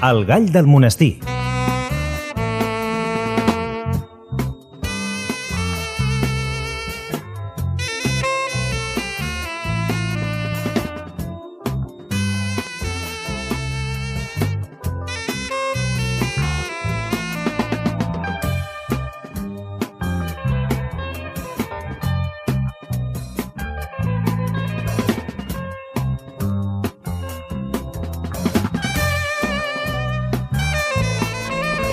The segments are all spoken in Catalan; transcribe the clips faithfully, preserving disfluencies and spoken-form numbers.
El gall del monestir.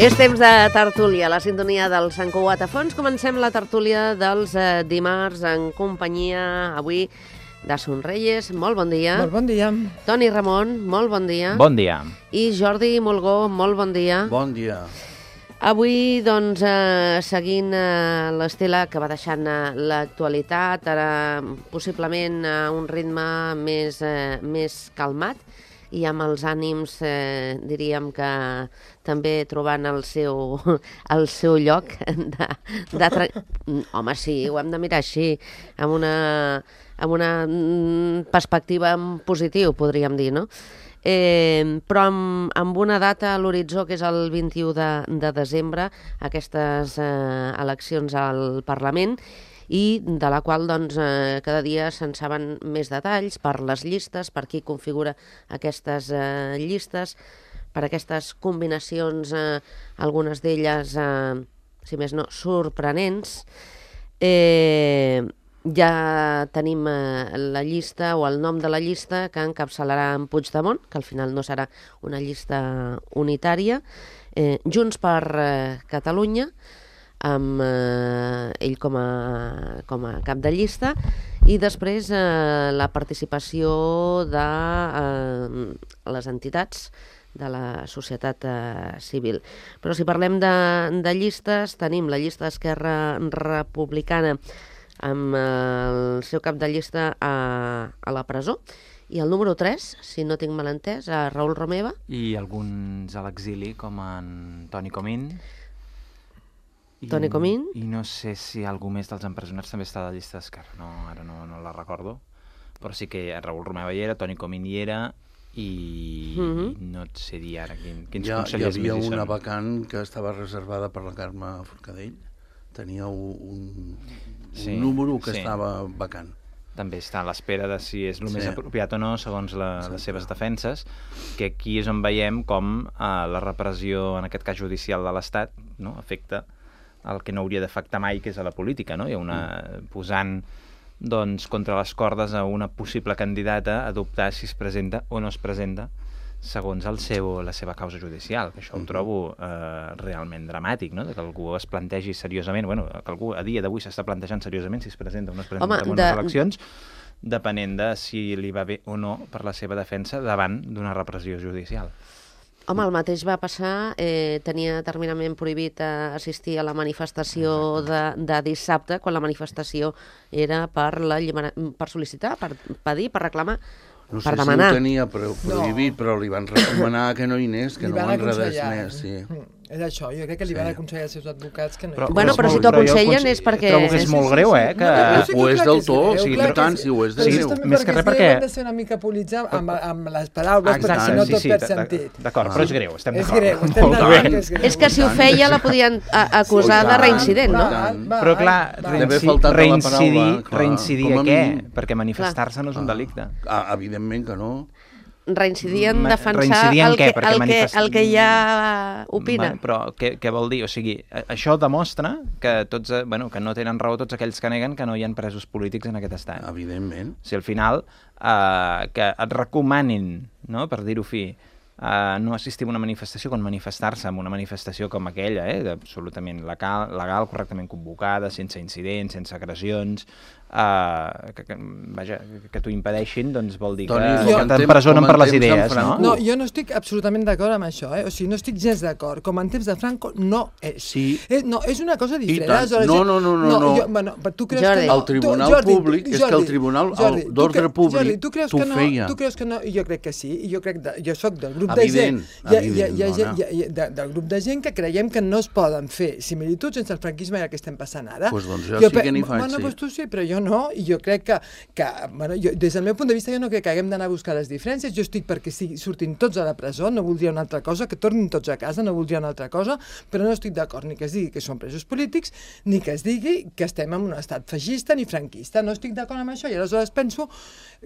És temps de tertúlia, la sintonia del Sant Cugat a fons. Comencem la tertúlia dels eh, dimarts en companyia, avui, de Sonreyes. Molt bon dia. Molt bon dia. Toni Ramon, molt bon dia. Bon dia. I Jordi Molgó, molt bon dia. Bon dia. Avui, doncs, eh, seguint eh, l'estela que va deixant eh, l'actualitat, ara possiblement a un ritme més, eh, més calmat, i amb els ànims, eh, diríem que també trobant el seu, el seu lloc de, de tra... Home, sí, ho hem de mirar així, amb una, amb una perspectiva en positiu, podríem dir, no? Eh, però amb, amb una data a l'horitzó, que és el vint-i-u de, de desembre, aquestes eh, eleccions al Parlament, i de la qual doncs, eh, cada dia se'n saben més detalls per les llistes, per qui configura aquestes eh, llistes, per aquestes combinacions, eh, algunes d'elles, eh, si més no, sorprenents. Eh, ja tenim eh, la llista o el nom de la llista que encapçalarà en Puigdemont, que al final no serà una llista unitària, eh, Junts per eh, Catalunya, amb eh, ell com a, com a cap de llista, i després eh, la participació de eh, les entitats de la societat eh, civil. Però si parlem de, de llistes, tenim la llista d'Esquerra Republicana amb eh, el seu cap de llista a, a la presó, i el número tres, si no tinc mal entès, a Raül Romeva. I alguns a l'exili, com en Toni Comín. I, Toni Comín. I no sé si algú més dels empresonats també està a la llista d'Esquerra, no, ara no, no la recordo, però sí que Raül Romeva hi era, Toni Comín hi era, i, mm-hmm. i no et sé dir ara quin, quins ja, consellers hi havia més hi una són. vacant que estava reservada per la Carme Forcadell, tenia un, un sí, número que sí. estava vacant. També està a l'espera de si és el sí. més apropiat o no, segons la, les seves defenses, que aquí és on veiem com eh, la repressió, en aquest cas judicial de l'Estat, no, afecta el que no hauria d'afectar mai, que és a la política, no? Hi ha una, posant doncs, contra les cordes a una possible candidata a dubtar si es presenta o no es presenta segons el seu, la seva causa judicial, que això ho trobo eh, realment dramàtic, no? Que algú es plantegi seriosament, bueno, que algú a dia d'avui s'està plantejant seriosament si es presenta o no es presenta Home, en unes de... eleccions, depenent de si li va bé o no per la seva defensa davant d'una repressió judicial. Home, el mateix va passar, eh, tenia terminament prohibit eh, assistir a la manifestació de, de dissabte, quan la manifestació era per, la llibera... per sol·licitar, per pedir, per reclamar, no per sé demanar. No sé si ho tenia prohibit, no. Però li van recomanar que no hi anés, que li no ho enredés aconsellar. més. Sí. Mm. És això, jo crec que li sí. van aconsellar als seus advocats que no hi Però, bueno, però si t'ho aconsellen és perquè... Trobo que és molt greu, eh? Que... No, no, ho és del tot, o sigui, tant, si ho és del greu. Més que res perquè... Hem de ser una mica polits amb, amb les paraules, exacte, perquè si no sí, tot sí, perd sentit. D'acord, però és greu, estem és d'acord. Greu, estem d'acord que és greu. És que si ho feia la podien acusar de reincident, no? Però clar, reincidir, reincidir a què? Perquè manifestar-se no és un delicte. Evidentment que no. Reincidir en defensar el que, el, que, el que ja opina. Va, però què, què vol dir? O sigui, això demostra que, tots, bueno, que no tenen raó tots aquells que neguen que no hi ha presos polítics en aquest estat. Evidentment. Si al final eh, que et recomanin, no, per dir-ho fi, eh, no assistir a una manifestació quan manifestar-se en una manifestació com aquella, eh, absolutament legal, legal, correctament convocada, sense incidents, sense agressions, Uh, que, que, vaja, que t'ho impedeixin, doncs vol dir Toni, que, que t'empresonen per les idees, no? No, jo no estic absolutament d'acord amb això, eh? O sigui, no estic gens d'acord. Com en temps de Franco no és. Sí. Eh, no, és una cosa diferent. Aleshores, no, no, no, no. no. Jo, bueno, tu creus Jordi. que no? El Tribunal tu, Jordi, Públic, Jordi, és que el Tribunal d'Ordre Públic Jordi, tu creus t'ho que no, feia. Tu creus que no? Jo crec que sí. I jo crec de, jo soc del grup evident, de gent, hi ha, evident, hi ha, hi ha, dona. hi ha, hi ha, de, del grup de gent que creiem que no es poden fer similituds entre el franquisme i el que estem passant ara. Pues doncs jo, jo sí que n'hi faig, bueno, sí. Pues tu sí, però jo jo no, i jo crec que, que bueno, jo, des del meu punt de vista, jo no crec que haguem d'anar a buscar les diferències, jo estic perquè sí, surtin tots a la presó, no voldria una altra cosa, que tornin tots a casa, no voldria una altra cosa, però no estic d'acord ni que es digui que són presos polítics, ni que es digui que estem en un estat feixista ni franquista, no estic d'acord amb això, i aleshores penso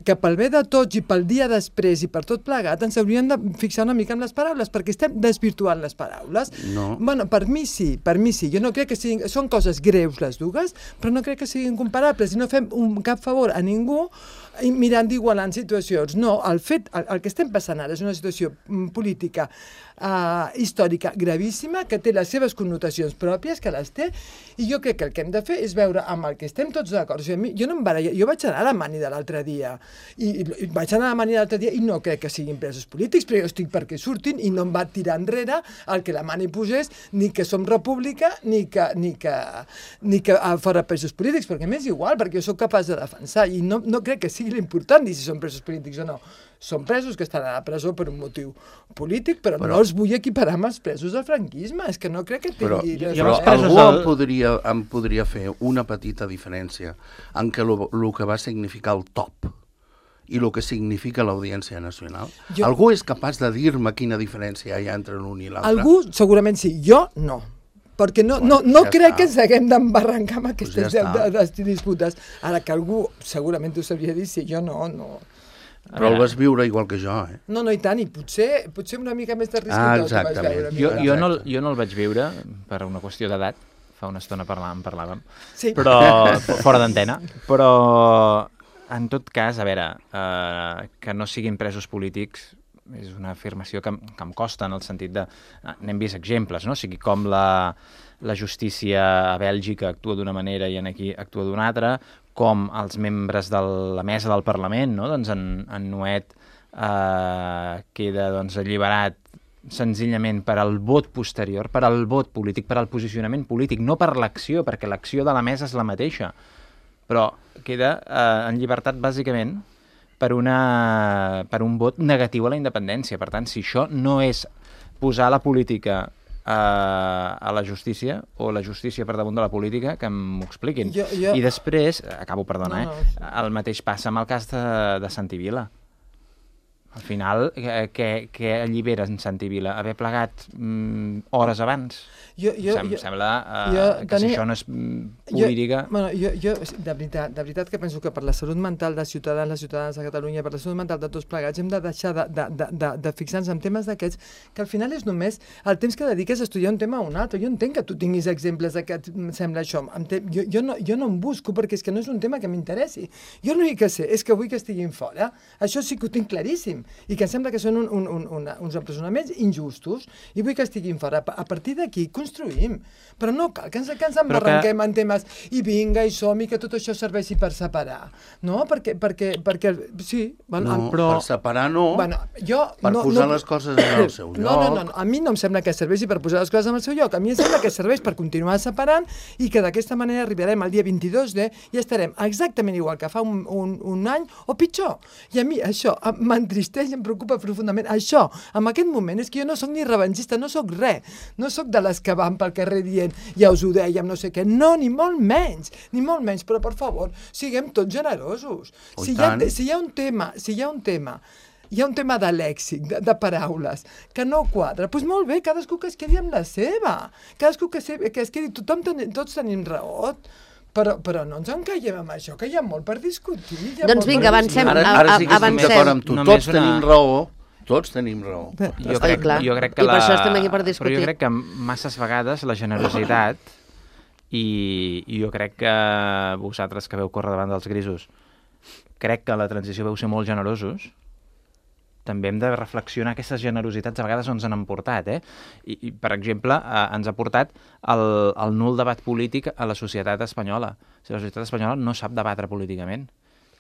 que pel bé de tots i pel dia després i per tot plegat ens hauríem de fixar una mica en les paraules, perquè estem desvirtuant les paraules. No. Bueno, per mi sí, per mi sí, jo no crec que siguin, són coses greus les dues, però no crec que siguin comparables i no fem un cap favor a ningú mirant d'igualant situacions. No, el fet, el, el que estem passant ara és una situació política uh, històrica gravíssima, que té les seves connotacions pròpies, que les té, i jo crec que el que hem de fer és veure amb el que estem tots d'acord. O sigui, jo, no em baralla, jo vaig anar a la mani de l'altre dia, i, i vaig anar a la mani de l'altre dia i no crec que siguin presos polítics, però jo estic perquè surtin i no em va tirar enrere el que la mani posés, ni que som república, ni que, ni que, ni que uh, fora presos polítics, perquè m'és igual, perquè jo sóc capaç de defensar, i no, no crec que sigui l'important dir si són presos polítics o no. Són presos que estan a la presó per un motiu polític, però, però no els vull equiparar amb els presos del franquisme. És que no crec que tingui... Però, però algú del... em, podria, em podria fer una petita diferència en què el que va significar el top i el que significa l'Audiència Nacional. Jo... Algú és capaç de dir-me quina diferència hi ha entre l'un i l'altre? Algú segurament sí, jo no. Perquè no, bueno, no, no ja crec està. Que ens haguem d'embarrancar amb aquestes pues ja de, de, de disputes. Ara que algú segurament ho sabria dir, sí, jo no, no. Però el vas viure igual que jo, eh? No, no, i tant, i potser, potser una mica més de risc ah, que tot vas veure. Jo, jo, no, jo no el vaig viure per una qüestió d'edat, fa una estona parlàvem, parlàvem, sí. Però fora d'antena, però en tot cas, a veure, eh, que no siguin presos polítics és una afirmació que, que em costa en el sentit de... N'hem vist exemples, no? O sigui, com la, la justícia a Bèlgica actua d'una manera i en aquí actua d'una altra, com els membres de la mesa del Parlament, no? Doncs en, en Nuet eh, queda doncs, alliberat senzillament per al vot posterior, per al vot polític, per al posicionament polític, no per l'acció, perquè l'acció de la mesa és la mateixa, però queda eh, en llibertat bàsicament per, una, per un vot negatiu a la independència. Per tant, si això no és posar la política a, a la justícia, o la justícia per damunt de la política, que m'ho expliquin. Jo, jo... I després, acabo, perdona, no, no. eh? El mateix passa amb el cas de, de Santi Vila. Al final, què, què allibera en Santi Vila? Haver plegat mm, hores abans? Jo, jo, Sem, jo, sembla uh, jo, que tenia, si això no és política... Jo, bueno, jo, jo, de veritat, de veritat que penso que per la salut mental de ciutadans, les ciutadanes de Catalunya, per la salut mental de tots plegats, hem de deixar de, de, de, de, de fixar-nos en temes d'aquests, que al final és només el temps que dediques a estudiar un tema o un altre. Jo entenc que tu tinguis exemples de que et sembla això. Jo, jo, no, jo no em busco perquè és que no és un tema que m'interessi. Jo l'únic que sé és que vull que estiguin fora. Això sí que ho tinc claríssim. I que em sembla que són un, un, un, una, uns empresonaments injustos i vull que estiguin fora. A partir d'aquí construïm. Però no cal que ens, que ens embarranquem que... en temes i vinga i som i que tot això serveixi per separar. No? Perquè, perquè, perquè sí. Bueno, no, però... per separar no. Bueno, jo, per no, posar no... les coses en el seu lloc. No, no, no, no. A mi no em sembla que serveixi per posar les coses en el seu lloc. A mi em sembla que serveix per continuar separant i que d'aquesta manera arribarem al dia vint-i-dos de i estarem exactament igual que fa un, un, un any o pitjor. I a mi això m'entristeix i em preocupa profundament. Això, en aquest moment, és que jo no sóc ni revanxista, no sóc res. No sóc de les que van pel carrer dient ja us ho dèiem, no sé què. No, ni molt menys, ni molt menys, però per favor, siguem tots generosos. Oh, si, hi ha, si hi ha un tema, si hi ha un tema hi ha un tema de lèxic, de, de paraules, que no quadra, doncs molt bé, cadascú que es quedi amb la seva, cadascú que, se, que es quedi, tothom ten, tots tenim raó, però, però no ens encaiem amb això, que hi ha molt per discutir. Doncs vinga, avancem. Ara, ara sí que estem d'acord amb tu, Només tots una... tenim raó, tots tenim raó. Jo crec, clar. jo crec que I per la... això estem aquí per discutir. Però jo crec que masses vegades la generositat, i, i jo crec que vosaltres que veu córrer davant dels grisos, crec que la transició veu ser molt generosos, també hem de reflexionar aquestes generositats a vegades on ens han portat, eh? I, i per exemple, eh, ens ha portat el, el nul debat polític a la societat espanyola. O sigui, la societat espanyola no sap debatre políticament.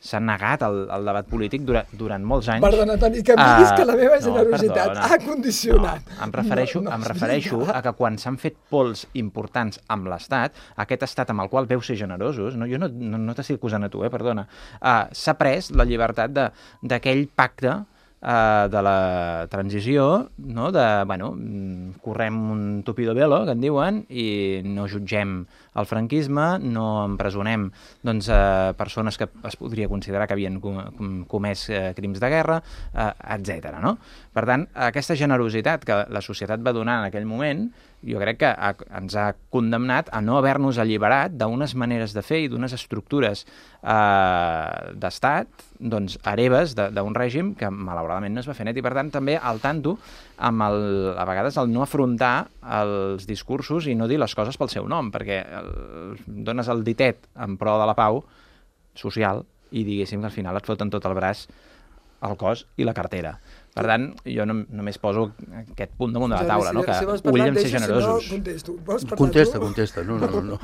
S'ha negat el, el debat polític durant, durant molts anys. Perdona, Toni, que em diguis uh, que la meva generositat no, ha condicionat. No, em refereixo, no, no, em refereixo a que quan s'han fet pols importants amb l'Estat, aquest Estat amb el qual veu ser generosos, no, jo no, no, no t'estic acusant a tu, eh, perdona, uh, s'ha pres la llibertat d'aquell pacte eh, de la transició, no? de, bueno, correm un tupido velo, que en diuen, i no jutgem el franquisme, no empresonem doncs, eh, persones que es podria considerar que havien com, comès eh, crims de guerra, eh, etcètera. No? Per tant, aquesta generositat que la societat va donar en aquell moment, jo crec que ha, ens ha condemnat a no haver-nos alliberat d'unes maneres de fer i d'unes estructures eh, d'estat, doncs, hereves d'un règim que malauradament no es va fer net, i per tant també al tanto amb el, a vegades el no afrontar els discursos i no dir les coses pel seu nom, perquè el, dones el ditet en pro de la pau social i diguéssim que al final et foten tot el braç, el cos i la cartera. Per tant, jo no, només poso aquest punt damunt de la taula, no? que si volíem ser generosos. Si no, contesto. Vols parlar contesta, tu? contesta. No, no, no.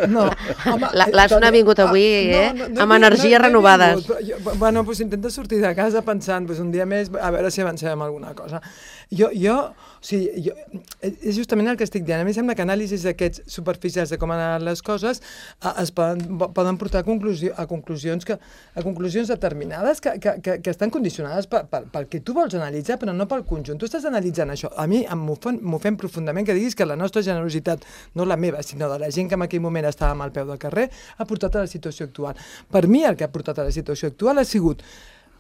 no. Home, L'Asna ha vingut avui eh? no, no, no, amb energies no, no renovades. Vingut, jo, bueno, pues intenta sortir de casa pensant pues, un dia més, a veure si avancem en alguna cosa. Jo, jo, o sigui, jo, és justament el que estic dient. A mi sembla que anàlisis d'aquests superficials de com han anat les coses a, es poden, poden portar a, conclusio, a, conclusions que, a conclusions determinades que, que, que, que estan condicionades pel, pel, pel que tu vols analitzar, però no pel conjunt. Tu estàs analitzant això. A mi m'ofèn profundament que diguis que la nostra generositat, no la meva, sinó de la gent que en aquell moment estàvem al peu del carrer, ha portat a la situació actual. Per mi el que ha portat a la situació actual ha sigut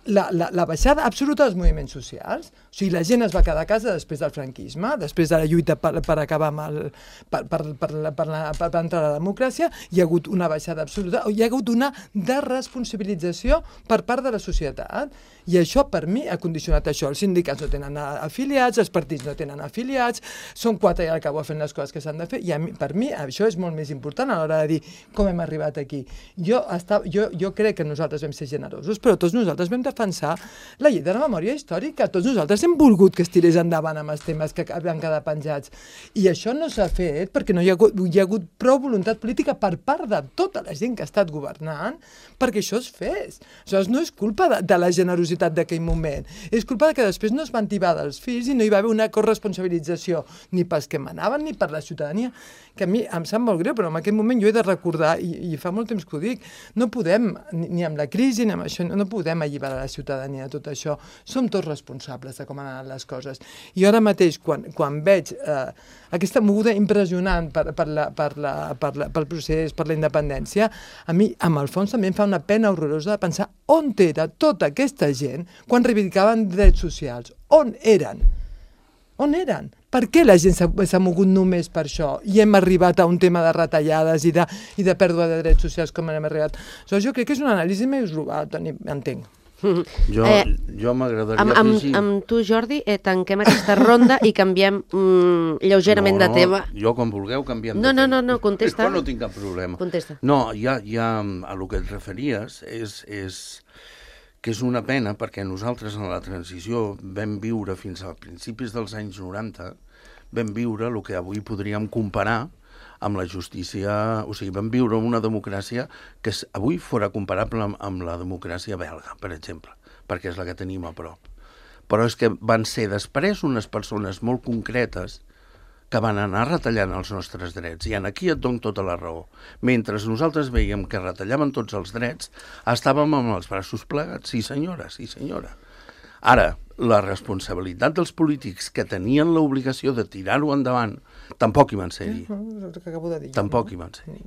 La, la, la baixada absoluta dels moviments socials. O sigui, la gent es va quedar a casa després del franquisme, després de la lluita per, per acabar amb el... per, per, per, per, per, per, per entrar a la democràcia, hi ha hagut una baixada absoluta, hi ha hagut una desresponsabilització per part de la societat. I això, per mi, ha condicionat això. Els sindicats no tenen afiliats, els partits no tenen afiliats, són quatre i al cabo fent les coses que s'han de fer, i a mi, per mi això és molt més important a l'hora de dir com hem arribat aquí. Jo, està, jo, jo crec que nosaltres vam ser generosos, però tots nosaltres vam defensar la llei de la memòria històrica. Tots nosaltres hem volgut que es tirés endavant amb els temes que van quedar penjats. I això no s'ha fet perquè no hi ha hagut, hi ha hagut prou voluntat política per part de tota la gent que ha estat governant perquè això es fes. Això no és culpa de, de la generositat d'aquell moment. És culpa que després no es van tibar dels fills i no hi va haver una corresponsabilització ni pels que manaven ni per la ciutadania, que a mi em sap molt greu, però en aquell moment jo he de recordar, i, i fa molt temps que ho dic, no podem, ni, ni amb la crisi ni amb això, no podem alliberar la ciutadania de tot això. Som tots responsables de com han anat les coses. I ara mateix, quan, quan veig eh, aquesta moguda impressionant per, per la, per la, per la, pel procés, per la independència, a mi, amb el fons, també em fa una pena horrorosa de pensar on era tota aquesta gent quan reivindicaven drets socials. On eren? On eren? Per què la gent s'ha mogut només per això i hem arribat a un tema de retallades i de, i de pèrdua de drets socials com hem arribat? So, jo crec que és una anàlisi més global, entenc. Jo, eh, jo m'agradaria amb, amb, afegir... amb tu, Jordi, eh, tanquem aquesta ronda i canviem mm, lleugerament no, de tema. No, jo quan vulgueu canviem no, de no, tema. No, no, no, contesta. Jo no tinc cap problema. Contesta. No, ja, ja a lo que et referies és, és que és una pena perquè nosaltres en la transició vam viure fins a principis dels anys noranta, vam viure el que avui podríem comparar amb la justícia, o sigui, vam viure una democràcia que avui fora comparable amb, amb la democràcia belga, per exemple, perquè és la que tenim a prop. Però és que van ser després unes persones molt concretes que van anar retallant els nostres drets, i en aquí et dono tota la raó. Mentre nosaltres veiem que retallaven tots els drets, estàvem amb els braços plegats, sí senyora, sí senyora. Ara, la responsabilitat dels polítics que tenien l'obligació de tirar-ho endavant tampoc hi van ser-hi. Tampoc hi van ser-hi.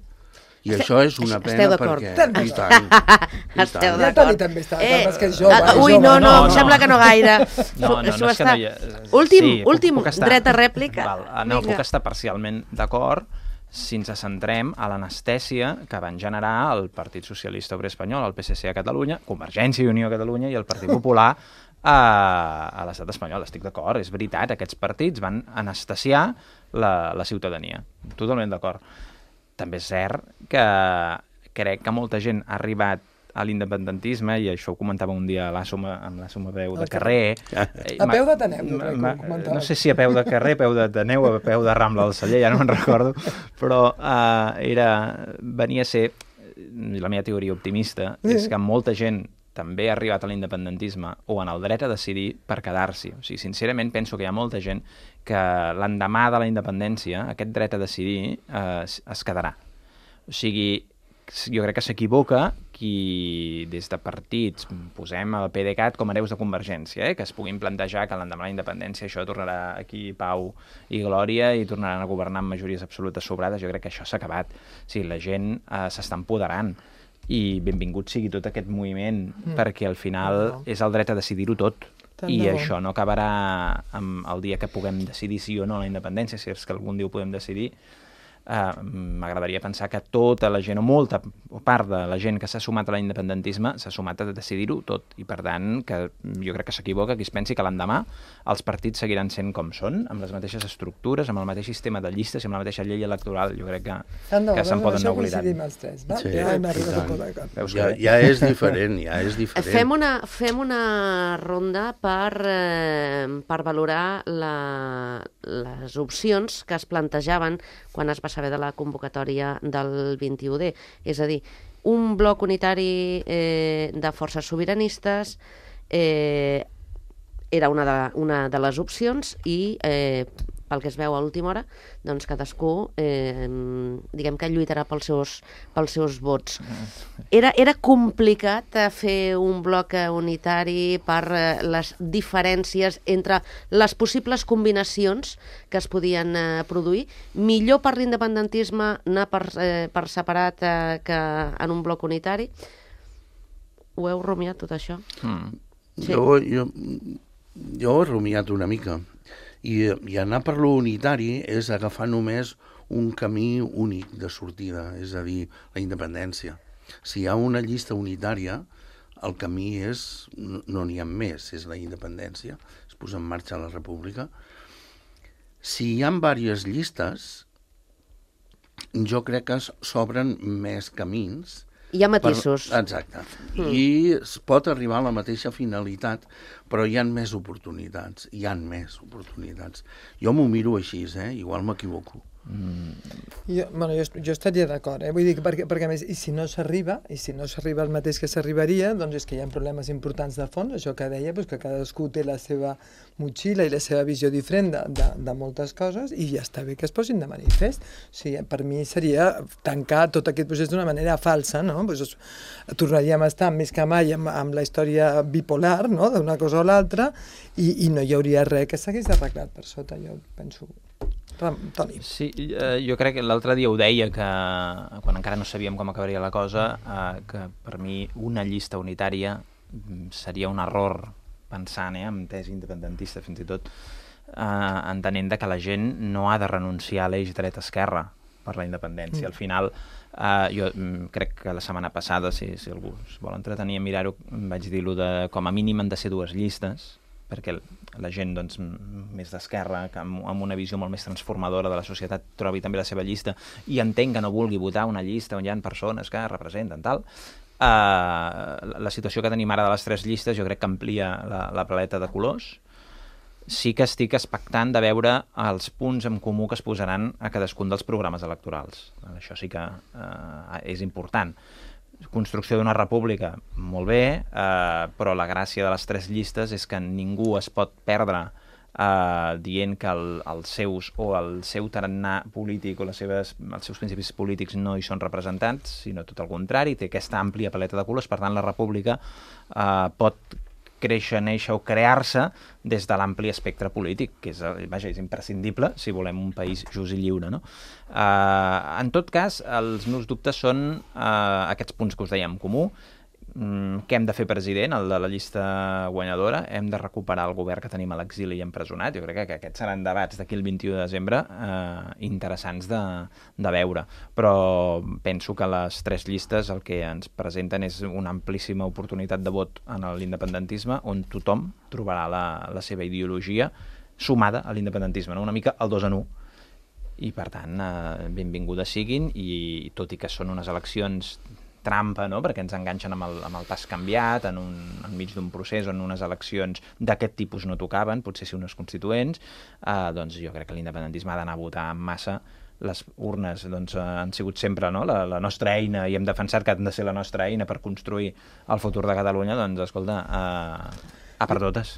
I això és una pena perquè... I tant, i Esteu tant. Ja Toni també està, eh, és que és jove. uh, és ui, jove. no, no, no, em no. sembla que no gaire. No, no, no és que no hi ha... Últim, sí, últim, puc, puc estar... dret a rèplica. Val, no, Vinga. puc estar parcialment d'acord si ens centrem a l'anestèsia que van generar el Partit Socialista Obrer Espanyol, el P S C a Catalunya, Convergència i Unió a Catalunya i el Partit Popular a, a l'estat espanyol. Estic d'acord, és veritat, aquests partits van anestesiar la, la ciutadania. Totalment d'acord. També és cert que crec que molta gent ha arribat a l'independentisme, i això ho comentava un dia a l'Assoma, amb l'Assoma Peu de Carrer. A peu d'Ateneu, jo crec que ho comentava. No sé si a peu de carrer, a peu d'Ateneu, a peu de Rambla del Celler, ja no me'n recordo, però uh, era, venia a ser, la meva teoria optimista, és que molta gent també ha arribat a l'independentisme o en el dret a decidir per quedar-s'hi. O sigui, sincerament, penso que hi ha molta gent que l'endemà de la independència aquest dret a decidir eh, es quedarà. O sigui, jo crec que s'equivoca qui des de partits posem el PDeCAT com hereus de Convergència, eh? Que es puguin plantejar que l'endemà de la independència això tornarà aquí pau i glòria i tornaran a governar amb majories absolutes sobrades. Jo crec que això s'ha acabat. O sigui, la gent eh, s'està empoderant i benvingut sigui tot aquest moviment mm. perquè al final no. és el dret a decidir-ho tot. Tant I això no acabarà amb el dia que puguem decidir sí o no la independència, si és que algun dia ho podem decidir. Uh, m'agradaria pensar que tota la gent, o molta part de la gent que s'ha sumat a l'independentisme s'ha sumat a decidir-ho tot, i per tant que jo crec que s'equivoca qui es pensi que l'endemà els partits seguiran sent com són, amb les mateixes estructures, amb el mateix sistema de llistes i amb la mateixa llei electoral. Jo crec que, no, que se'n poden anar oblidant. Sí, ja, ja, ja és diferent, ja és diferent. Fem una, fem una ronda per, eh, per valorar la, les opcions que es plantejaven quan es va saber de la convocatòria del vint-i-u D. És a dir, un bloc unitari eh, de forces sobiranistes eh, era una de, una de les opcions i, eh, pel que es veu a última hora, doncs cadascú eh, diguem que lluitarà pels seus, pels seus vots. Era, era complicat fer un bloc unitari per les diferències entre les possibles combinacions que es podien eh, produir. Millor per l'independentisme anar per, eh, per separat eh, que en un bloc unitari. Ho heu rumiat, tot això? Mm. Sí. Jo, jo, jo ho he rumiat una mica. I, i anar per lo unitari és agafar només un camí únic de sortida, és a dir, la independència. Si hi ha una llista unitària, el camí és, no n'hi ha més, és la independència, es posa en marxa la república. Si hi ha diverses llistes, jo crec que s'obren més camins. Hi ha matisos. Per, exacte. Mm. I es pot arribar a la mateixa finalitat, però hi ha més oportunitats. Hi ha més oportunitats. Jo m'ho miro així, eh? Igual m'equivoco. Mm. Jo, bueno, jo, jo estaria d'acord, eh? Vull dir que perquè, perquè a més, i si no s'arriba, i si no s'arriba al mateix que s'arribaria, doncs és que hi ha problemes importants de fons, això que deia, doncs que cadascú té la seva motxilla i la seva visió diferent de, de, de moltes coses, i ja està bé que es posin de manifest. O sigui, per mi seria tancar tot aquest procés d'una manera falsa, no? Pues, tornaríem a estar més que mai amb, amb la història bipolar, no? D'una cosa o l'altra, i, i no hi hauria res que s'hagués arreglat per sota, jo penso. Toni. Sí, eh, jo crec que l'altre dia ho deia, que quan encara no sabíem com acabaria la cosa, eh, que per mi una llista unitària seria un error pensant, eh, amb tesi independentista fins i tot, eh, entenent que la gent no ha de renunciar a l'eix dret-esquerra per la independència. Mm. Al final, eh, jo crec que la setmana passada, si, si algú es vol entretenir a mirar-ho, vaig dir-lo de com a mínim han de ser dues llistes, perquè la gent doncs, més d'esquerra, que amb, amb una visió molt més transformadora de la societat, trobi també la seva llista i entenc que no vulgui votar una llista on hi ha persones que representen tal. Uh, la situació que tenim ara de les tres llistes jo crec que amplia la, la paleta de colors. Sí que estic expectant de veure els punts en comú que es posaran a cadascun dels programes electorals. Això sí que uh, és important. Construcció d'una república, molt bé, eh, però la gràcia de les tres llistes és que ningú es pot perdre eh, dient que el, els seus o el seu tarannà polític o les seves, els seus principis polítics no hi són representats, sinó tot el contrari, té aquesta àmplia paleta de colors, per tant la república eh, pot créixer, néixer o crear-se des de l'ampli espectre polític, que és, vaja, és imprescindible si volem un país just i lliure, no? Uh, en tot cas, els meus dubtes són uh, aquests punts que us dèiem en comú. Mm, què hem de fer president, el de la llista guanyadora? Hem de recuperar el govern que tenim a l'exili i empresonat? Jo crec que aquests seran debats d'aquí el vint-i-u de desembre eh, interessants de, de veure. Però penso que les tres llistes el que ens presenten és una amplíssima oportunitat de vot en l'independentisme on tothom trobarà la, la seva ideologia sumada a l'independentisme, no? Una mica el dos en un. I per tant, eh, benvingudes siguin, i tot i que són unes eleccions trampa, no? Perquè ens enganxen amb el, amb el pas canviat en un, enmig d'un procés on unes eleccions d'aquest tipus no tocaven, potser si unes constituents, eh, doncs jo crec que l'independentisme ha d'anar a votar en massa. Les urnes doncs, han sigut sempre, no? la, la nostra eina, i hem defensat que han de ser la nostra eina per construir el futur de Catalunya, doncs escolta, eh, a per totes.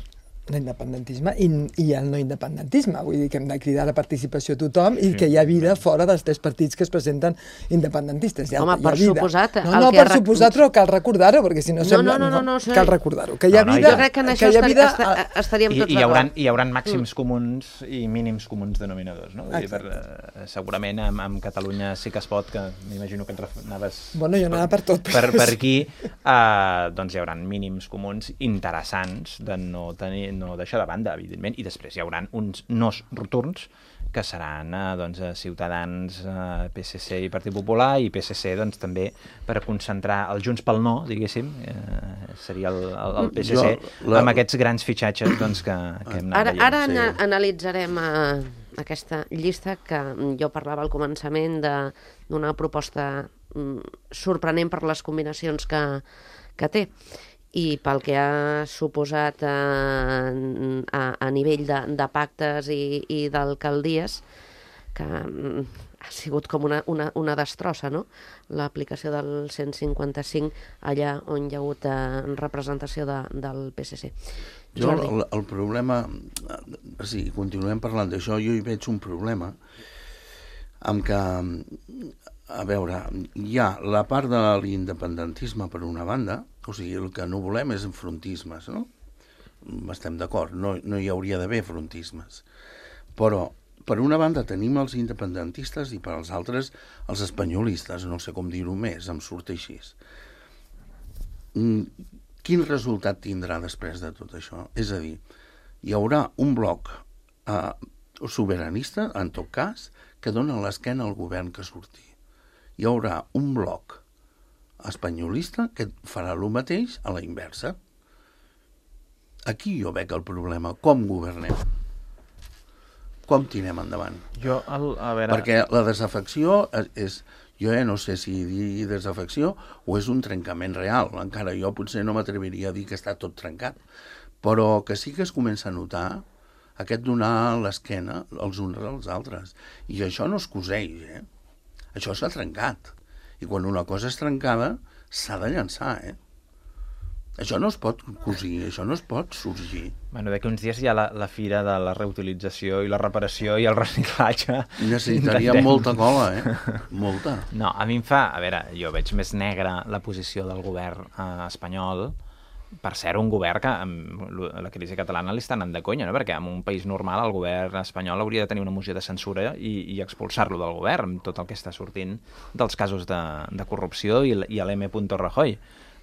l'independentisme i, i el no independentisme. Vull dir que hem de cridar la participació a tothom i que hi ha vida fora dels tres partits que es presenten independentistes. Hi ha, Home, hi ha per vida. suposat, No, el no, que per rec- suposat, però cal recordar-ho, perquè si no, No, sembla... no, no, no, no, cal recordar-ho. Que hi ha No, no, vida... Jo crec que en això que hi ha estar, vida, esta, estaríem I, tots i, hi haurà, d'acord. hi haurà màxims comuns i mínims comuns denominadors, no? Vull dir, per, eh, segurament amb, amb Catalunya sí que es pot, que m'imagino que et ref- anaves... Bueno, jo anava per tot. Per, per aquí, eh, doncs hi haurà mínims comuns interessants de no, tenir, no deixar de banda, evidentment, i després hi haurà uns nos rotunds que seran eh, doncs, Ciutadans, eh, P S C i Partit Popular, i P S C doncs, també per concentrar el Junts pel No, diguéssim, eh, seria el, el, el P S C, Jo, la- amb aquests grans fitxatges doncs, que, que hem anat Ara, veient. ara sí. ana- analitzarem eh, aquesta llista que jo parlava al començament de- d'una proposta mm, sorprenent per les combinacions que, que té i pel que ha suposat eh, a, a nivell de, de pactes i, i d'alcaldies, que mm, ha sigut com una, una, una destrossa, no?, l'aplicació del cent cinquanta-cinc allà on hi ha hagut eh, representació de, del P S C. Jo, Jordi. el, el problema... Sí, continuem parlant d'això. Jo hi veig un problema amb que, a veure, hi ha la part de l'independentisme per una banda, o sigui, el que no volem és enfrontismes, no? Estem d'acord, no, no hi hauria d'haver frontismes. Però, per una banda, tenim els independentistes i per als altres, els espanyolistes, no sé com dir-ho més, em surt així. Quin resultat tindrà després de tot això? És a dir, hi haurà un bloc eh, sobiranista, en tot cas, que dona l'esquena al govern que surti. Hi haurà un bloc espanyolista que farà el mateix a la inversa. Aquí jo veig el problema. Com governem? Com tirem endavant? Jo, el, a veure... Perquè la desafecció és... Jo ja no sé si dir desafecció o és un trencament real. Encara jo potser no m'atreviria a dir que està tot trencat. Però que sí que es comença a notar aquest donar l'esquena els uns als altres. I això no es coseix, eh? Això s'ha trencat. I quan una cosa és trencada, s'ha de llançar, eh? Això no es pot cosir, això no es pot sorgir. Bueno, d'aquí uns dies hi ha la, la fira de la reutilització i la reparació i el reciclatge. Necessitaria Intentem. molta cola, eh? Molta. No, a mi em fa... A veure, jo veig més negra la posició del govern eh, espanyol, per ser un govern que amb la crisi catalana li està anant de conya, no? Perquè en un país normal el govern espanyol hauria de tenir una moció de censura i, i expulsar-lo del govern, amb tot el que està sortint dels casos de, de corrupció i, i l'M. Rajoy.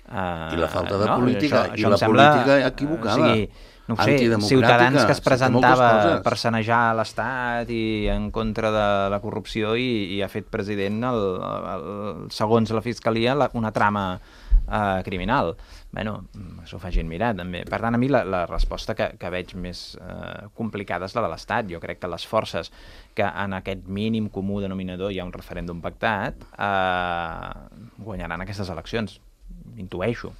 Uh, I la falta de no? política, això, i això la sembla, política equivocada, o sigui, no ho sé, antidemocràtica, Ciutadans que es sí, presentava moltes coses. per sanejar l'Estat i en contra de la corrupció i, i ha fet president, el, el, el, segons la Fiscalia, la, una trama uh, criminal. Bueno, s'ho fa gent mirar, també. Per tant, a mi la, la resposta que, que veig més uh, complicada és la de l'Estat. Jo crec que les forces que en aquest mínim comú denominador hi ha un referèndum pactat uh, guanyaran aquestes eleccions. Intueixo.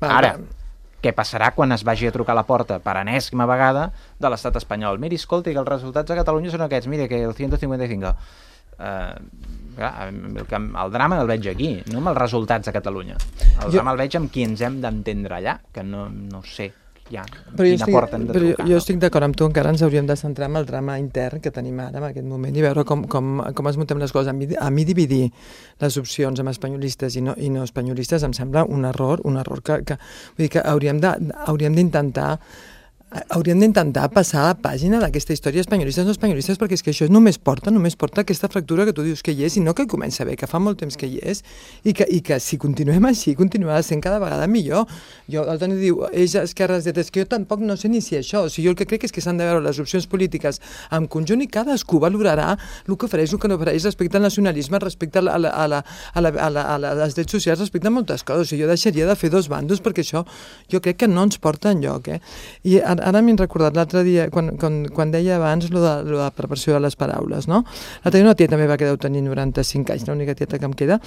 Va, Ara, va. què passarà quan es vagi a trucar a la porta per enèsima vegada de l'estat espanyol? Miri, escolti, que els resultats a Catalunya són aquests. Miri, que el cent cinquanta-cinc... Uh, clar, el, el drama el veig aquí, no amb els resultats a Catalunya. El Jo- drama el veig amb qui ens hem d'entendre allà, que no, no sé ja Però jo quina estic, porta hem de però jo, trucar. jo no? estic d'acord amb tu, encara ens hauríem de centrar en el drama intern que tenim ara en aquest moment i veure com, com, com es muntem les coses. A mi, a mi dividir les opcions amb espanyolistes i no, i no espanyolistes em sembla un error, un error que, que, vull dir que hauríem de- hauríem d'intentar hauríem d'intentar passar a pàgina d'aquesta història espanyolistes no espanyolistes, perquè és que això només porta només porta aquesta fractura que tu dius que hi és i no que comença bé, que fa molt temps que hi és i que, i que si continuem així continuarà sent cada vegada millor. Jo, el Toni diu, ells esquerres de és que jo tampoc no sé ni si això, o sigui, jo el que crec és que s'han de veure les opcions polítiques en conjunt i cadascú valorarà el que ofereix, el que no ofereix respecte al nacionalisme, respecte a, la, a, la, a, la, a, la, a, la, a, la, als drets socials, respecte a moltes coses. O sigui, jo deixaria de fer dos bandos perquè això jo crec que no ens porta enlloc, eh? I ara, ara m'he recordat l'altre dia, quan, quan, quan deia abans lo de, lo de la preparació de les paraules, no? L'altre dia una tia també va quedar tenir noranta-cinc anys, l'única tieta que em queda,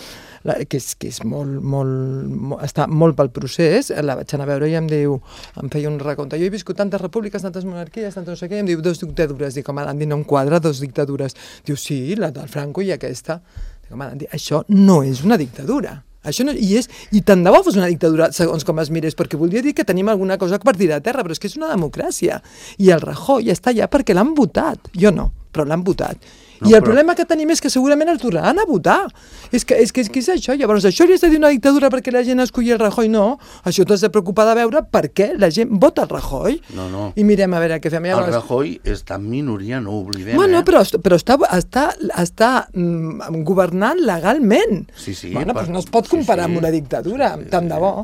la, que és, que és molt, molt, molt, està molt pel procés, la vaig anar a veure i em diu, em feia un recompte, jo he viscut tantes repúbliques, tantes monarquies, tantes no sé què, i em diu, dos dictadures, dic, home, Andy, no em quadra, dos dictadures. Diu, sí, la del Franco i aquesta. Dic, home, Andy, això no és una dictadura. Això no, i, és, I tant de bo fos una dictadura, segons com es mirés, perquè voldria dir que tenim alguna cosa per tirar a terra, però és que és una democràcia. I el Rajoy està allà perquè l'han votat. Jo no, però l'han votat. No, I el però... problema que tenim és que segurament el tornaran a votar. És que és, que, és, que és això. Llavors, això li has de dir una dictadura perquè la gent escolli el Rajoy? No. Això t'has de preocupar de veure per què la gent vota el Rajoy. No, no. I mirem a veure què fem. Llavors... El Rajoy està en minoria, no ho oblidem. Bueno, eh? però, però està, està, està mm, governant legalment. Sí, sí. Bueno, per... doncs no es pot comparar sí, sí. amb una dictadura, sí, tant sí. de bo.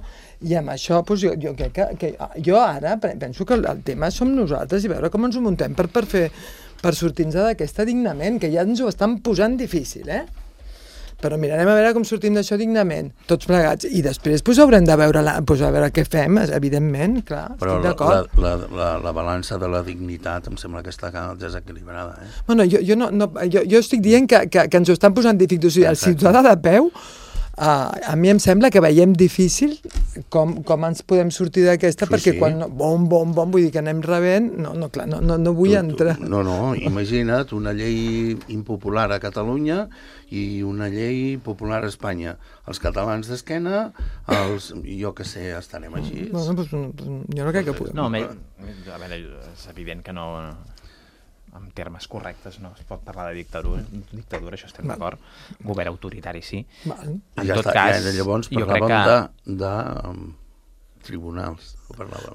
I amb això, doncs, jo, jo crec que, que... Jo ara penso que el, el tema som nosaltres i veure com ens ho muntem per, per fer... per sortir-nos d'aquesta dignament, que ja ens ho estan posant difícil, eh? Però mirarem a veure com sortim d'això dignament, tots plegats, i després pues, haurem de veure, la, pues, a veure què fem, evidentment, clar, però estic d'acord. Però la, la, la, la balança de la dignitat em sembla que està desequilibrada, eh? Bueno, jo, jo, no, no, jo, jo estic dient que, que, que ens ho estan posant difícil, o sigui, el ciutadà de peu, Uh, a mi em sembla que veiem difícil com, com ens podem sortir d'aquesta, sí, perquè sí. quan no, bom, bom, bom, vull dir que anem rebent, no, no, clar, no, no, no vull tu, entrar. Tu, no, no, imagina't una llei impopular a Catalunya i una llei popular a Espanya. Els catalans d'esquena, els, jo que sé, estarem així. Bueno, pues, jo no crec que puguem. No, a veure, és evident que no... en termes correctes no es pot parlar de dictadura, dictadura això estem d'acord, govern autoritari sí. Val. En ja tot està, cas, ja, llavors parlàvem que... de, de um, tribunals.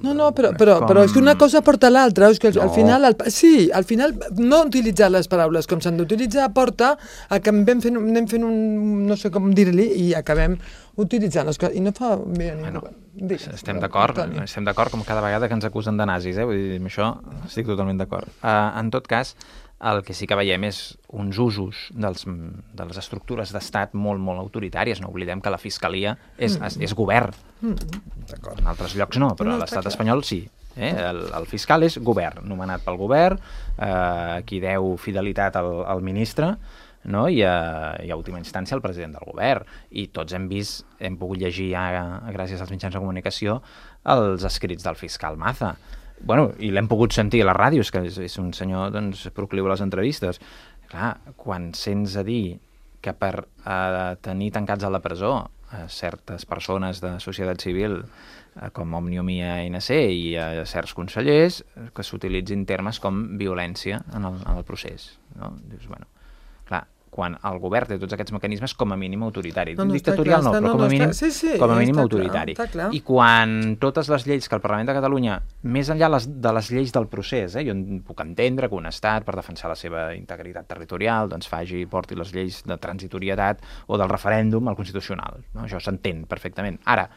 No, no, però, però, com... però és que una cosa porta a l'altra, és que al, no. al final, el, sí, al final no utilitzar les paraules com s'han d'utilitzar porta a que anem fent, anem fent un, no sé com dir-li, i acabem utilitzant les coses, i no fa bé a ningú. Bueno, digues, estem d'acord, estem d'acord com cada vegada que ens acusen de nazis, eh? Vull dir, amb això estic totalment d'acord. Uh, en tot cas, el que sí que veiem és uns usos dels, de les estructures d'estat molt, molt autoritàries. No oblidem que la Fiscalia és, mm. és, és govern. Mm. En altres llocs no, però no, a l'estat espanyol sí. Eh? El, el fiscal és govern, nomenat pel govern, eh, qui deu fidelitat al, al ministre, no? I, a, i a última instància el president del govern. I tots hem vist, hem pogut llegir ja, gràcies als mitjans de comunicació, els escrits del fiscal Maza. Bueno, i l'hem pogut sentir a les ràdios, que és, és un senyor, doncs, procliu a les entrevistes. Clar, quan sents a dir que per eh, tenir tancats a la presó a certes persones de societat civil, eh, com Òmnium i A N C, i a certs consellers, que s'utilitzin termes com violència en el, en el procés. No? Dius, bueno, clar, quan el govern té tots aquests mecanismes com a mínim autoritari. No, no, dictatorial clar, no, però no, com a mínim, no, sí, sí, com a mínim autoritari. Clar, I quan totes les lleis que el Parlament de Catalunya, més enllà les, de les lleis del procés, eh, jo puc entendre que un estat, per defensar la seva integritat territorial, doncs faci, porti les lleis de transitorietat o del referèndum al Constitucional. No? Això s'entén perfectament. Ara,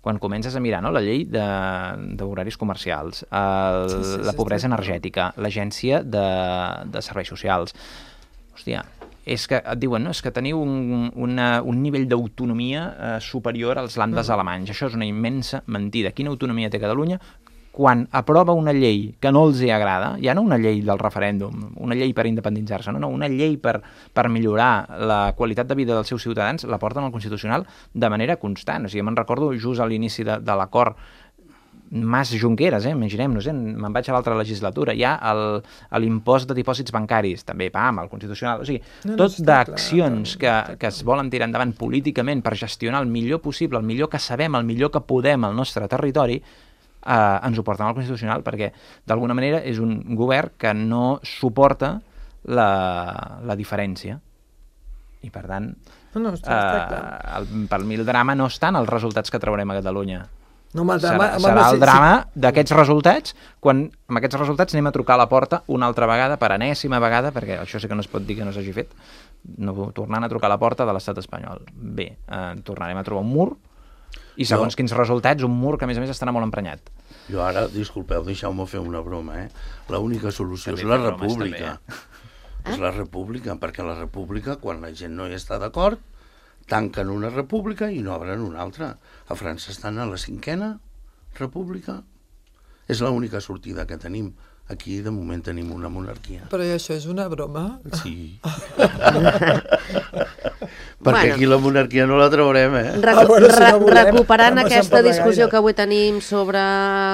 quan comences a mirar, no, la llei d'horaris comercials, el, sí, sí, la pobresa sí, energètica, l'agència de, de serveis socials, hòstia, és que et diuen, no, és que teniu un, una, un nivell d'autonomia eh, superior als landes uh-huh. alemanys. Això és una immensa mentida. Quina autonomia té Catalunya quan aprova una llei que no els hi agrada, ja no una llei del referèndum, una llei per independitzar-se, no, no, una llei per, per millorar la qualitat de vida dels seus ciutadans, la porten al Constitucional de manera constant. O sigui, me'n recordo just a l'inici de, de l'acord Mas Junqueras, eh? Imaginem-nos, eh? Me'n vaig a l'altra legislatura, hi ha l'impost de dipòsits bancaris, també, pam, el Constitucional, o sigui, no, no, tot d'accions que, que es volen tirar endavant políticament per gestionar el millor possible, el millor que sabem, el millor que podem al nostre territori, eh, ens ho porten al Constitucional, perquè d'alguna manera és un govern que no suporta la, la diferència. I per tant, no, no, està, eh, està el, pel mi el drama no està en els resultats que traurem a Catalunya. No, drama, serà serà el drama sí. d'aquests resultats, quan amb aquests resultats anem a trucar a la porta una altra vegada, per enèsima vegada, perquè això sí que no es pot dir que no s'hagi fet, no, tornant a trucar a la porta de l'estat espanyol. Bé, eh, tornarem a trobar un mur, i segons jo... quins resultats, un mur que a més a més estarà molt emprenyat. Jo ara, disculpeu, deixeu-me fer una broma, eh? L'única solució també és la república. També, eh? És la república, perquè la república, quan la gent no hi està d'acord, tanquen una república i no obren una altra. A França estan a la cinquena república. És l'única sortida que tenim. Aquí, de moment, tenim una monarquia. Però això és una broma? Sí. Perquè Bueno. aquí la monarquia no la traurem, eh? Recu Ah, bueno, si re no volem, recuperant no passem aquesta per la discussió gaire. que avui tenim sobre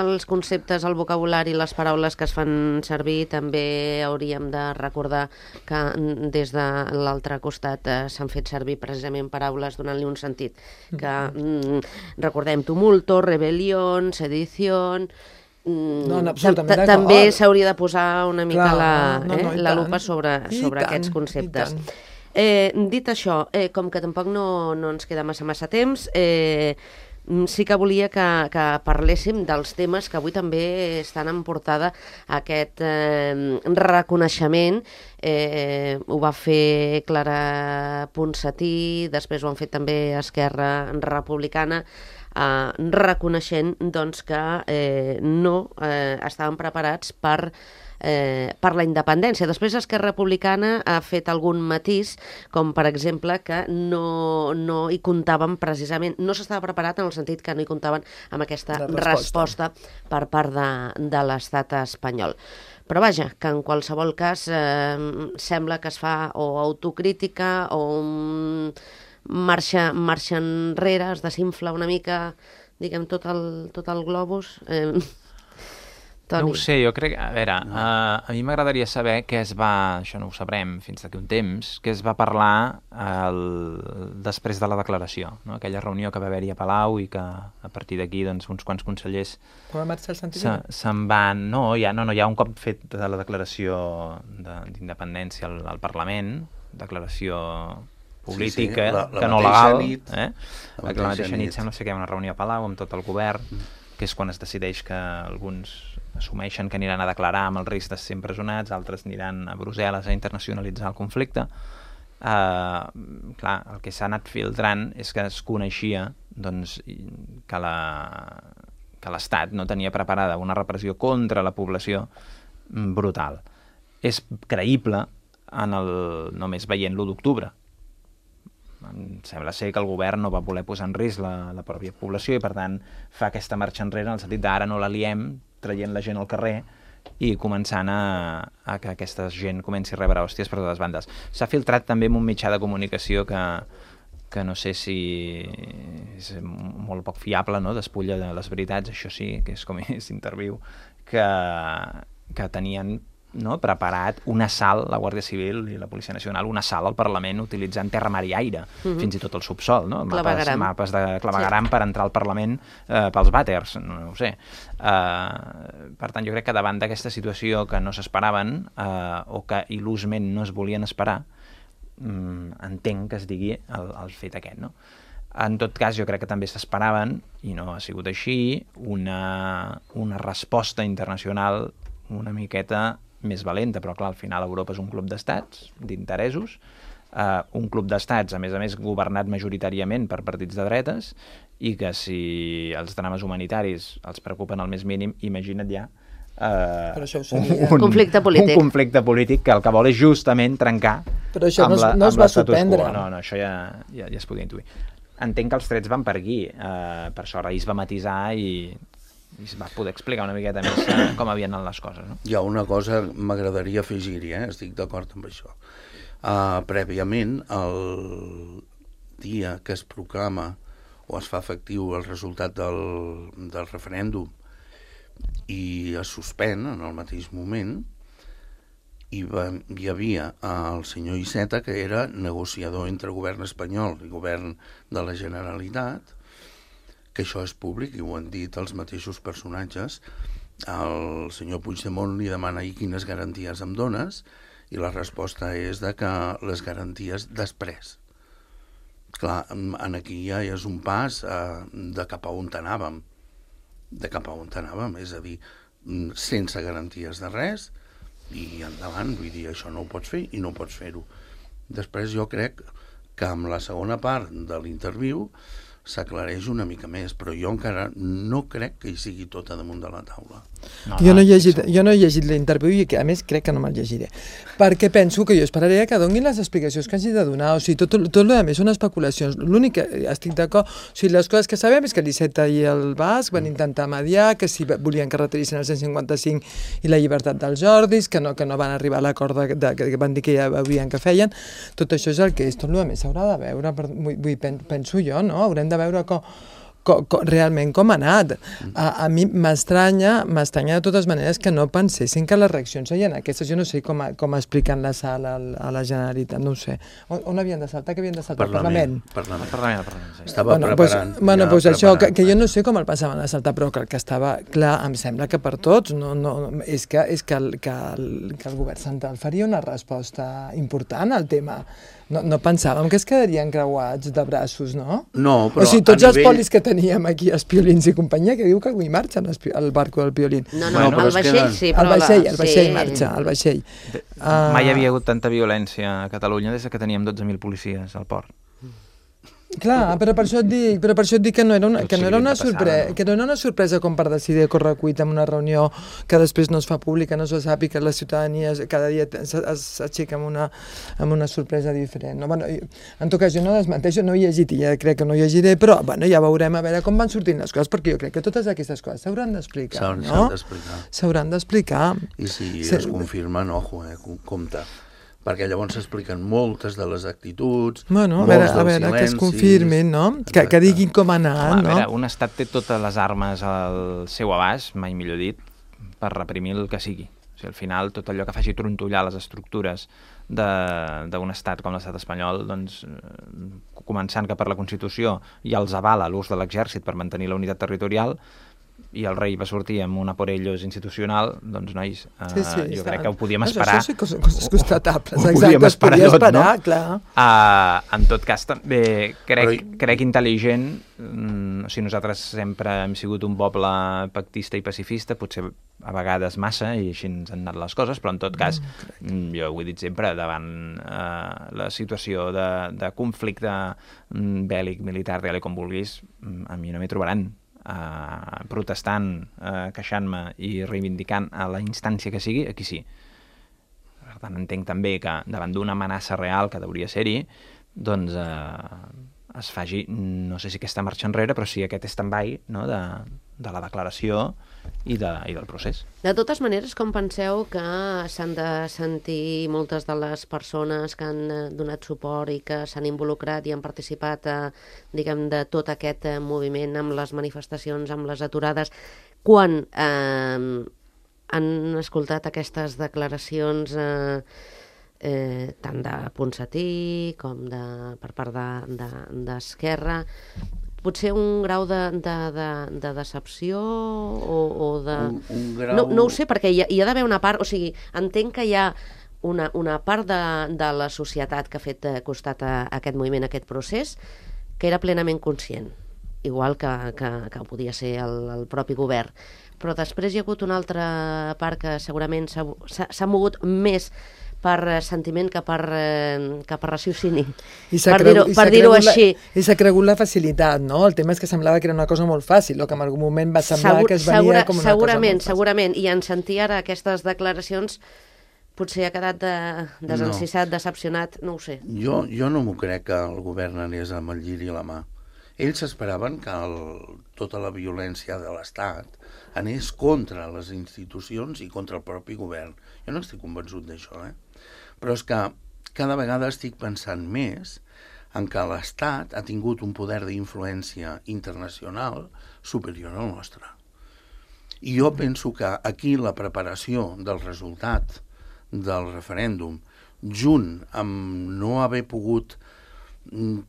els conceptes, el vocabulari, les paraules que es fan servir, també hauríem de recordar que mm, des de l'altre costat eh, s'han fet servir precisament paraules donant-li un sentit. Que mm, recordem tumulto, rebel·lió, sedició... Mm, No, no, absolutament ta- ta- d'acord. també s'hauria de posar una mica Clar, la, no, no, eh, i la tant. lupa sobre, I sobre tant, aquests i conceptes. tant. Eh, dit això, eh, com que tampoc no, no ens queda massa massa temps, eh, mm, sí que volia que, que parléssim dels temes que avui també estan en portada aquest eh, reconeixement. Eh, ho va fer Clara Ponsatí, després ho han fet també Esquerra Republicana, eh, reconeixent doncs, que eh, no eh, estaven preparats per Eh, per la independència. Després Esquerra Republicana ha fet algun matís, com per exemple que no, no hi comptaven precisament, no s'estava preparat en el sentit que no hi comptaven amb aquesta La resposta. resposta per part de, de l'estat espanyol. Però vaja, que en qualsevol cas eh, sembla que es fa o autocrítica o un marxa, marxa enrere, es desinfla una mica, diguem, tot el, tot el globus. Eh, Toni. No ho sé, jo crec... A veure, no. uh, a mi m'agradaria saber què es va... Això no ho sabrem fins d'aquí un temps, què es va parlar el, després de la declaració, no? Aquella reunió que va haver-hi a Palau i que a partir d'aquí doncs, uns quants consellers Quan va marxar el Santi se, Vila? se'n van... No, ja, no, no, ja un cop fet de la declaració d'independència al, al Parlament, declaració política, Sí, sí, la- la que no mateixa legal, nit. eh? La La, la mateixa mateixa nit nit. sembla ser que hi ha una reunió a Palau amb tot el govern, que és quan es decideix que alguns assumeixen que aniran a declarar amb el risc de ser empresonats, altres aniran a Brussel·les a internacionalitzar el conflicte. Uh, clar, el que s'ha anat filtrant és que es coneixia doncs, que la que l'Estat no tenia preparada una repressió contra la població brutal. És creïble en el, només veient l'u d'octubre. Em sembla ser que el govern no va voler posar en risc la, la pròpia població i, per tant, fa aquesta marxa enrere en el sentit d'ara no la liem, traient la gent al carrer i començant a, a que aquesta gent comenci a rebre hòsties per totes bandes. S'ha filtrat també en un mitjà de comunicació que, que no sé si és molt poc fiable, no? Despulla de les veritats, això sí, que és com és interviu, que, que tenien, no, preparat un assalt, la Guàrdia Civil i la Policia Nacional, un assalt al Parlament utilitzant terra, mar i aire, mm-hmm. fins i tot el subsol, no? Mapes, mapes de clavegaram sí. per entrar al Parlament eh, pels vàters, no, no ho sé. Uh, per tant, jo crec que davant d'aquesta situació que no s'esperaven uh, o que il·lusment no es volien esperar, um, entenc que es digui el, el fet aquest, no? En tot cas, jo crec que també s'esperaven, i no ha sigut així, una, una resposta internacional una miqueta més valenta, però clar, al final Europa és un club d'estats, d'interessos, uh, un club d'estats, a més a més, governat majoritàriament per partits de dretes, i que si els drames humanitaris els preocupen al més mínim, imagina't ja uh, Però això ho sabia. Un conflicte polític. Un conflicte polític que el que vol és justament trencar Però això amb no es- la, no es amb va l'status quo. sorprendre. No, no, això ja, ja, ja es podia intuir. Entenc que els trets van per aquí, uh, per això Reis va matisar i i es va poder explicar una miqueta més eh, com havien anat les coses, no? Hi ha una cosa que m'agradaria afegir-hi, eh? Estic d'acord amb això. Uh, prèviament, el dia que es proclama o es fa efectiu el resultat del, del referèndum i es suspèn en el mateix moment, hi, va, hi havia el senyor Iceta, que era negociador entre govern espanyol i govern de la Generalitat, que això és públic i ho han dit els mateixos personatges. El senyor Puigdemont li demana ahir quines garanties em dones i la resposta és de que les garanties després. Clar, en aquí ja és un pas eh, de cap a on anàvem, de cap a on anàvem, és a dir, sense garanties de res i endavant, vull dir, això no ho pots fer i no pots fer-ho. Després jo crec que amb la segona part de l'interviu s'aclareix una mica més, però jo encara no crec que hi sigui tot a damunt de la taula. No, jo, no he llegit, jo no he llegit l'interviu i que, a més crec que no me'l llegiré, perquè penso que jo esperaré que donin les explicacions que hagi de donar, o sigui, tot, tot el que són especulacions. L'únic que estic d'acord, o sigui, les coses que sabem és que l'Iceta i el Basc van intentar mediar, que si volien que retirissin el cent cinquanta-cinc i la llibertat dels Jordis, que no, que no van arribar a l'acord de, de, que van dir que ja veurien que feien. Tot això és el que és, tot el que més s'haurà de veure, per, vull, penso jo, no? Haurem de veure com, com, com, realment com ha anat. A, a mi m'estranya, m'estranya de totes maneres que no pensessin que les reaccions serien aquestes. Jo no sé com, com expliquen la sala a la Generalitat, no ho sé. On, on havien de saltar? Que havien de saltar? Parlament. El Parlament. El Parlament, el Parlament sí. Estava bueno, preparant. Pues, bueno, ja pues això, que, que jo preparant. no sé com el passaven a saltar, però que el que estava clar, em sembla que per tots, no, no, és, que, és que, el, que, el, que el govern central faria una resposta important al tema. No, no pensàvem que es quedarien creuats de braços, no? No, però o sigui, tots a els nivell... polis que teníem aquí, els piolins i companyia, que diu que avui marxen el barco del piolín. No, no, Bueno, el vaixell queden... sí, però... El vaixell, el vaixell sí. marxa, el vaixell. Mai hi havia hagut tanta violència a Catalunya des que teníem dotze mil policies al port. Clar, però per això et dic, però per això et dic que no era una, que no era una, sorpresa, no? que no era una sorpresa com per decidir a correcuita en una reunió que després no es fa pública, no se sap i que la ciutadania cada dia s'aixeca amb una, amb una sorpresa diferent. No, bueno, en tot cas, jo no desmenteixo, no he llegit i ja crec que no llegiré, però bueno, ja veurem a veure com van sortint les coses, perquè jo crec que totes aquestes coses s'hauran d'explicar, no? S'hauran d'explicar. I si es confirmen, ojo, eh, compte. Perquè llavors s'expliquen moltes de les actituds, bueno, a veure, a veure que es confirmin, no? Que, que diguin com ha anat, no? A veure, un estat té totes les armes al seu abast, mai millor dit, per reprimir el que sigui. O sigui, al final, tot allò que faci trontollar les estructures d'un estat com l'estat espanyol, doncs, començant que per la Constitució ja els avala l'ús de l'exèrcit per mantenir la unitat territorial, i el rei va sortir amb una por ellos institucional, doncs, nois, uh, sí, sí, jo crec que ho podíem esperar. Això sí que són coses constatables, ho, ho exacte, es podia tot, esperar, no? clar. Uh, en tot cas, també crec, Però... crec intel·ligent, mm, o sigui, nosaltres sempre hem sigut un poble pactista i pacifista, potser a vegades massa, i així ens han anat les coses, però en tot cas, mm, jo ho he dit sempre, davant uh, la situació de, de conflicte mm, bèl·lic, militar, digue-li com vulguis, mm, a mi no m'hi trobaran. Uh, protestant, uh, queixant-me i reivindicant a la instància que sigui, aquí sí. Per tant, entenc també que davant d'una amenaça real que hauria ser-hi, doncs uh, es faci, no sé si aquesta marxa enrere, però sí aquest stand-by, no, de, de la declaració i, de, i del procés. De totes maneres, com penseu que s'han de sentir moltes de les persones que han donat suport i que s'han involucrat i han participat, eh, diguem, de tot aquest eh, moviment amb les manifestacions, amb les aturades, quan eh, han escoltat aquestes declaracions eh, eh, tant de Ponsatí com de, per part d'Esquerra, de, de potser un grau de, de, de, de decepció o, o de... Un, un grau... no, no ho sé, perquè hi ha, hi ha d'haver una part, o sigui, entenc que hi ha una, una part de, de la societat que ha fet costat a, a aquest moviment, a aquest procés, que era plenament conscient, igual que, que, que podia ser el, el propi govern. Però després hi ha hagut una altra part que segurament s'ha mogut més per sentiment que per, que per raciocini, per dir-ho per dir-ho així. I s'ha cregut la facilitat, no? El tema és que semblava que era una cosa molt fàcil, o que en algun moment va semblar Segur, que es venia segura, com una segurament, cosa molt segurament, i en sentir ara aquestes declaracions potser ha quedat de, desencissat, no. decepcionat, no ho sé. Jo, jo no m'ho crec que el govern anés amb el lliri a la mà. Ells esperaven que el, tota la violència de l'Estat anés contra les institucions i contra el propi govern. Jo no estic convençut d'això, eh? Però és que cada vegada estic pensant més en que l'Estat ha tingut un poder d'influència internacional superior al nostre. I jo penso que aquí la preparació del resultat del referèndum, junt amb no haver pogut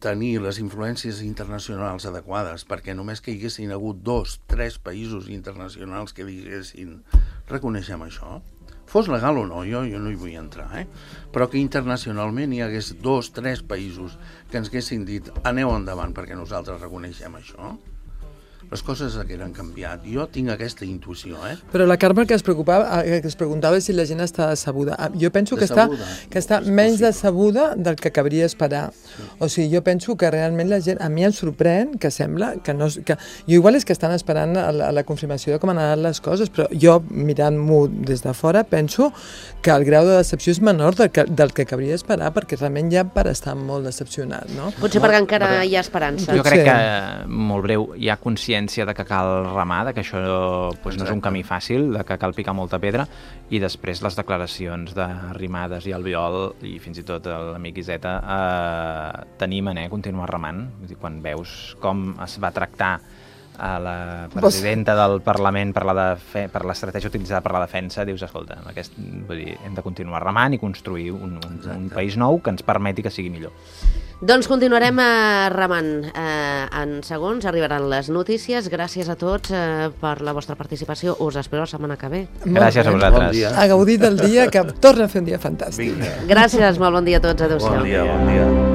tenir les influències internacionals adequades, perquè només que hi haguessin hagut dos, tres països internacionals que diguessin reconeixem això, fos legal o no, jo, jo no hi vull entrar, eh? Però que internacionalment hi hagués dos, tres països que ens haguessin dit aneu endavant perquè nosaltres reconeixem això. les coses hagueren canviat. Jo tinc aquesta intuïció, eh? Però la Carme que es preocupava, que es preguntava si la gent està decebuda. Jo penso que està, que està menys decebuda del que cabria esperar. O sigui, jo penso que realment la gent, a mi em sorprèn que sembla que no... Que, jo igual és que estan esperant a la, a la confirmació de com han anat les coses, però jo, mirant-m'ho des de fora, penso que el grau de decepció és menor del que, del que cabria esperar, perquè realment ja per estar molt decepcionat, no? Potser perquè encara hi ha esperança. Jo crec que, molt breu, hi ha consciència de que cal remar, de que això doncs, no és un camí fàcil, de que cal picar molta pedra, i després les declaracions d'Arrimades i Albiol, i fins i tot l'amic Iseta, eh, t'animen eh, a continuar remant. Vull dir, quan veus com es va tractar a la presidenta del Parlament per la defe- per l'estratègia utilitzada per la defensa, dius, escolta, aquest, vull dir, hem de continuar remant i construir un, un, un país nou que ens permeti que sigui millor. Doncs continuarem eh, remant. Eh, en segons arribaran les notícies. Gràcies a tots eh, per la vostra participació. Us espero la setmana que ve. Gràcies a vosaltres. Bon dia. A gaudir del dia, que torna a fer un dia fantàstic. Vinga. Gràcies, molt bon dia a tots. Adéu-siau. Bon dia, bon dia.